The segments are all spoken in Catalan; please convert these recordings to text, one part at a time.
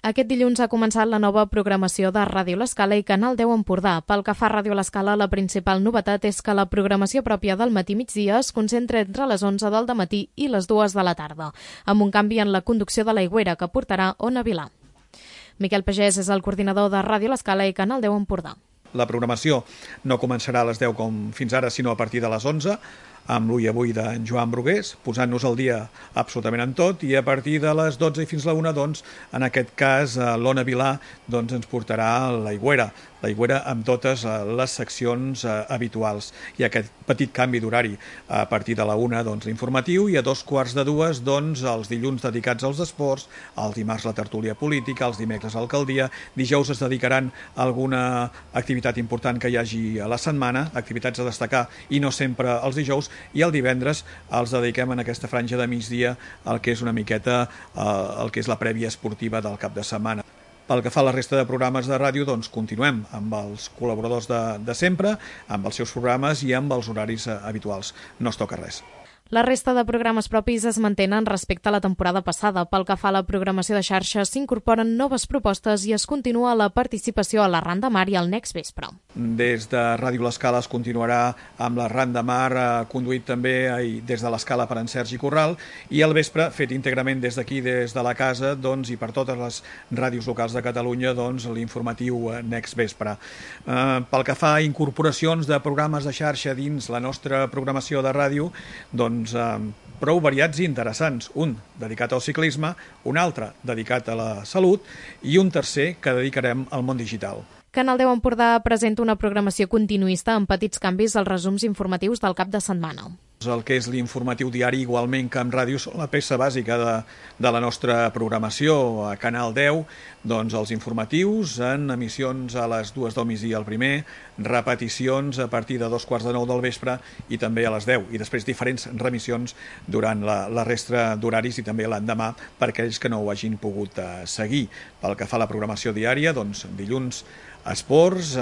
Aquest dilluns ha començat la nova programació de Ràdio L'Escala i Canal 10 Empordà. Pel que fa a Ràdio L'Escala, la principal novetat és que la programació pròpia del matí-migdia es concentra entre les 11 del dematí i les 2 de la tarda, amb un canvi en la conducció de l'Aigüera que portarà Ona Vilà. Miquel Pagès és el coordinador de Ràdio L'Escala i Canal 10 Empordà. La programació no començarà a les 10 com fins ara, sinó a partir de les 11, amb l'Ull Avui d'en Joan Brugués, posant-nos al dia absolutament en tot, i a partir de les 12 i fins a la 1, doncs, en aquest cas, l'Ona Vilà ens portarà l'Aigüera amb totes les seccions habituals. Hi ha aquest petit canvi d'horari a partir de la 1, l'informatiu, i a 2:15, els dilluns dedicats als esports, el dimarts la tertúlia política, els dimecres l'alcaldia, dijous es dedicaran a alguna activitat important que hi hagi a la setmana, activitats a destacar i no sempre els dijous, i el divendres els dediquem en aquesta franja de migdia al que és una miqueta el que és la prèvia esportiva del cap de setmana. Pel que fa a la resta de programes de ràdio, continuem amb els col·laboradors de sempre, amb els seus programes i amb els horaris habituals. No es toca res. La resta de programes propis es mantenen respecte a la temporada passada. Pel que fa a la programació de xarxa, s'incorporen noves propostes i es continua la participació a l'Arran de Mar i al Next Vespre. Des de Ràdio L'Escala es continuarà amb l'Arran de Mar, conduït també des de l'Escala per en Sergi Corral, i al vespre, fet íntegrament des d'aquí, des de la casa, i per totes les ràdios locals de Catalunya, l'informatiu Next Vespre. Pel que fa a incorporacions de programes de xarxa dins la nostra programació de ràdio, prou variats i interessants. Un dedicat al ciclisme, un altre dedicat a la salut i un tercer que dedicarem al món digital. Canal 10 Empordà presenta una programació continuista amb petits canvis als resums informatius del cap de setmana. El que és l'informatiu diari, igualment que amb ràdio, són la peça bàsica de la nostra programació. A Canal 10, els informatius en emissions a les 2 del migdia al primer, repeticions a partir de 8:45 del vespre i també a les 10, i després diferents remissions durant la resta d'horaris i també l'endemà per aquells que no ho hagin pogut seguir. Pel que fa a la programació diària, dilluns esports,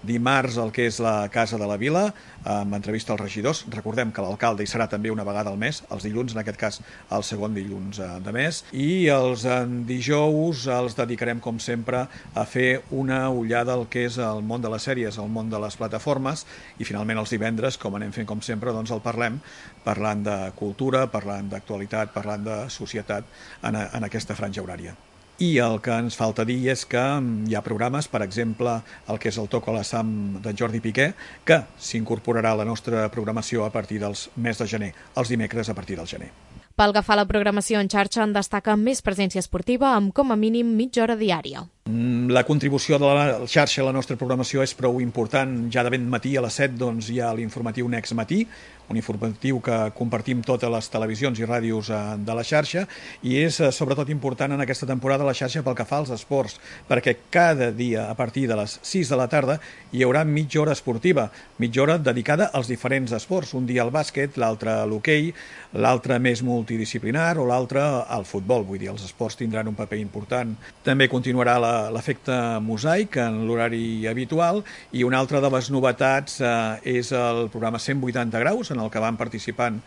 dimarts el que és la Casa de la Vila, amb entrevista als regidors. Recordem que l'alcalde hi serà també una vegada al mes, els dilluns, en aquest cas el segon dilluns de mes, i els dijous els dedicarem, com sempre, a fer una ullada al que és el món de les sèries, el món de les plataformes, i finalment els divendres, com anem fent com sempre, el parlant de cultura, parlant d'actualitat, parlant de societat en aquesta franja horària. I el que ens falta dir és que hi ha programes, per exemple, el que és el Toco a la Sam d'en Jordi Piqué, que s'incorporarà a la nostra programació a partir dels mes de gener, els dimecres a partir del gener. Pel que fa a la programació en xarxa, en destaca més presència esportiva amb com a mínim mitja hora diària. La contribució de la xarxa a la nostra programació és prou important. Ja de ben matí a les 7 hi ha l'informatiu Next Matí, un informatiu que compartim totes les televisions i ràdios de la xarxa, i és sobretot important en aquesta temporada la xarxa pel que fa als esports, perquè cada dia a partir de les 6 de la tarda hi haurà mitja hora esportiva, mitja hora dedicada als diferents esports, un dia al bàsquet, l'altre a l'hoquei, l'altre més multidisciplinar o l'altre al futbol, vull dir, els esports tindran un paper important. També continuarà l'efecte mosaic en l'horari habitual, i una altra de les novetats és el programa 180 graus, en el que van participant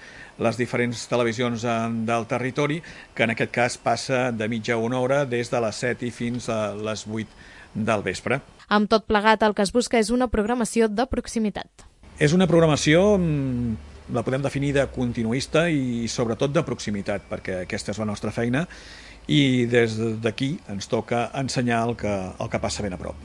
les diferents televisions del territori, que en aquest cas passa de mitja a una hora des de les 7 i fins a les 8 del vespre. Amb tot plegat, el que es busca és una programació de proximitat. És una programació, la podem definir de continuista i sobretot de proximitat, perquè aquesta és la nostra feina, i des d'aquí ens toca ensenyar el que passa ben a prop.